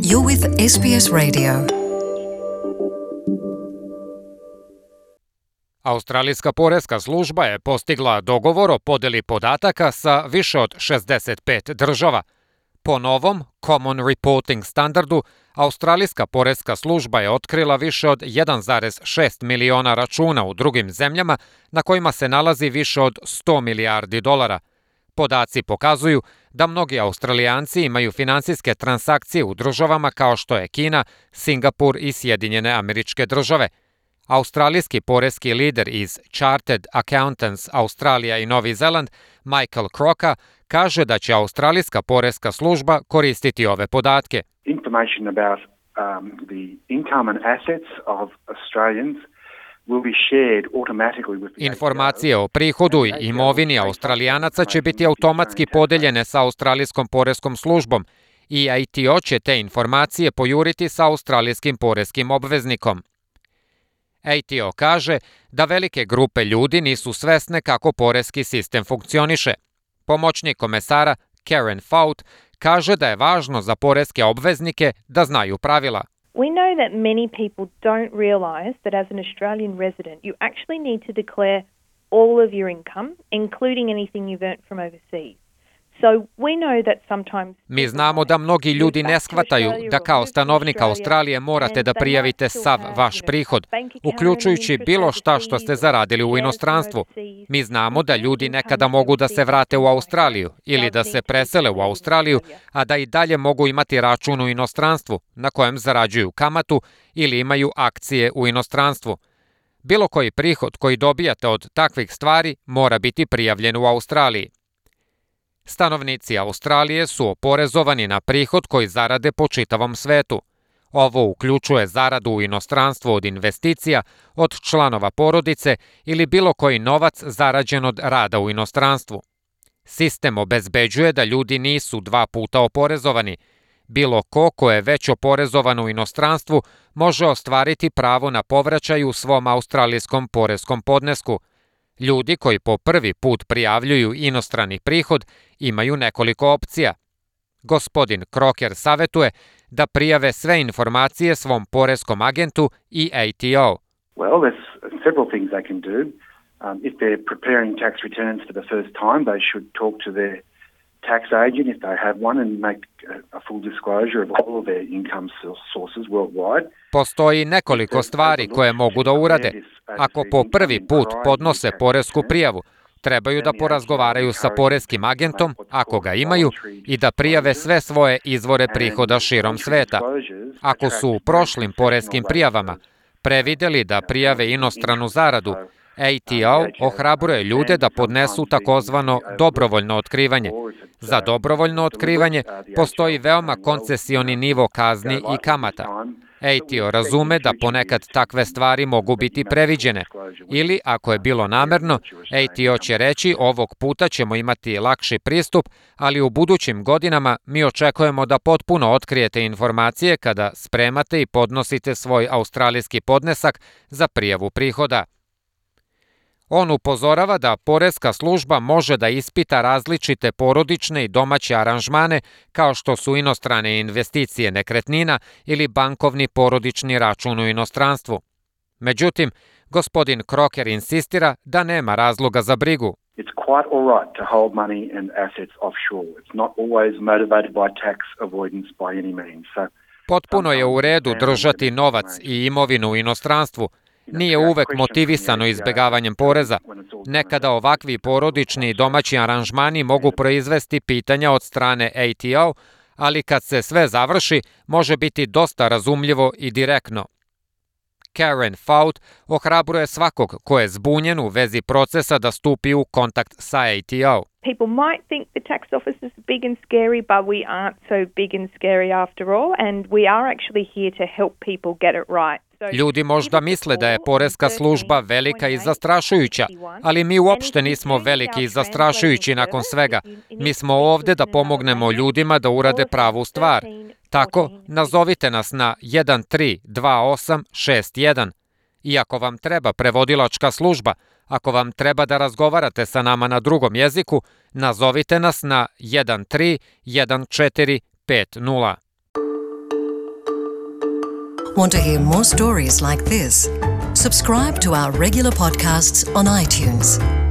You're with SBS Radio. Australijska poreska služba je postigla dogovor o podeli podataka sa više od 65 država. Po novom Common Reporting standardu, Australijska poreska služba je otkrila više od 1,6 miliona računa u drugim zemljama na kojima se nalazi više od 100 milijardi dolara. Podaci pokazuju da mnogi Australijanci imaju finansijske transakcije u državama kao što je Kina, Singapur i Sjedinjene Američke Države. Australijski poreski lider iz Chartered Accountants Australija i Novi Zeland, Michael Crocker, kaže da će Australijska poreska služba koristiti ove podatke. Information about the income and assets of Australians will be shared automatically with the Informacije o prihodu i imovini Australijanaca će biti automatski podeljene sa Australijskom poreskom službom i ATO će te informacije pojuriti sa australijskim poreskim obveznikom. ATO kaže da velike grupe ljudi nisu svesne kako poreski sistem funkcioniše. Pomoćnik komesara Karen Fout kaže da je važno za poreske obveznike da znaju pravila. We know that many people don't realise that as an Australian resident you actually need to declare all of your income, including anything you've earned from overseas. So we know that sometimes Mi znamo da mnogi ljudi ne shvataju da kao stanovnik Australije morate da prijavite sav vaš prihod, uključujući bilo šta što ste zaradili u inostranstvu. Mi znamo da ljudi nekada mogu da se vrate u Australiju ili da se presele u Australiju, a da i dalje mogu imati račun u inostranstvu na kojem zarađuju kamatu ili imaju akcije u inostranstvu. Bilo koji prihod koji dobijate od takvih stvari mora biti prijavljen u Australiji. Stanovnici Australije su oporezovani na prihod koji zarade po čitavom svetu. Ovo uključuje zaradu u inostranstvu od investicija, od članova porodice ili bilo koji novac zarađen od rada u inostranstvu. Sistem obezbeđuje da ljudi nisu dva puta oporezovani. Bilo ko je već oporezovan u inostranstvu može ostvariti pravo na povraćaj u svom australijskom poreskom podnesku. Ljudi koji po prvi put prijavljuju inostrani prihod imaju nekoliko opcija. Gospodin Crocker savjetuje da prijave sve informacije svom poreskom agentu i ATO. Well, there's several things they can do. If they're preparing tax returns for the first time, they should talk to their tax agent if they have one and make a full disclosure of all of their income sources worldwide. Postoji nekoliko stvari koje mogu da urade. Ako po prvi put podnose poresku prijavu, trebaju da porazgovaraju sa poreskim agentom, ako ga imaju, i da prijave sve svoje izvore prihoda širom sveta. Ako su u prošlim poreskim prijavama prevideli da prijave inostranu zaradu, ATO ohrabruje ljude da podnesu takozvano dobrovoljno otkrivanje. Za dobrovoljno otkrivanje postoji veoma koncesioni nivo kazni i kamata. ATO razume da ponekad takve stvari mogu biti previđene. Ili, ako je bilo namerno, ATO će reći ovog puta ćemo imati lakši pristup, ali u budućim godinama mi očekujemo da potpuno otkrijete informacije kada spremate i podnosite svoj australijski podnesak za prijavu prihoda. On upozorava da poreska služba može da ispita različite porodične i domaće aranžmane kao što su inostrane investicije nekretnina ili bankovni porodični račun u inostranstvu. Međutim, gospodin Crocker insistira da nema razloga za brigu. It's quite all right to hold money and assets offshore. It's not always motivated by tax avoidance by any means. Potpuno je u redu držati novac i imovinu u inostranstvu. Nije uvek motivisano izbegavanjem poreza. Nekada ovakvi porodični i domaći aranžmani mogu proizvesti pitanja od strane ATO, ali kad se sve završi, može biti dosta razumljivo i direktno. Karen Fout ohrabruje svakog ko je zbunjen u vezi procesa da stupi u kontakt sa ATO. people might think the tax office is big and scary, but we aren't so big and scary after all, and we are actually here to help people get it right. Ljudi možda misle da je poreska služba velika i zastrašujuća, ali mi uopšte nismo veliki i zastrašujući nakon svega. Mi smo ovde da pomognemo ljudima da urade pravu stvar. Tako, nazovite nas na 132861. I ako vam treba prevodilačka služba, ako vam treba da razgovarate sa nama na drugom jeziku, nazovite nas na 131450. Want to hear more stories like this? Subscribe to our regular podcasts on iTunes.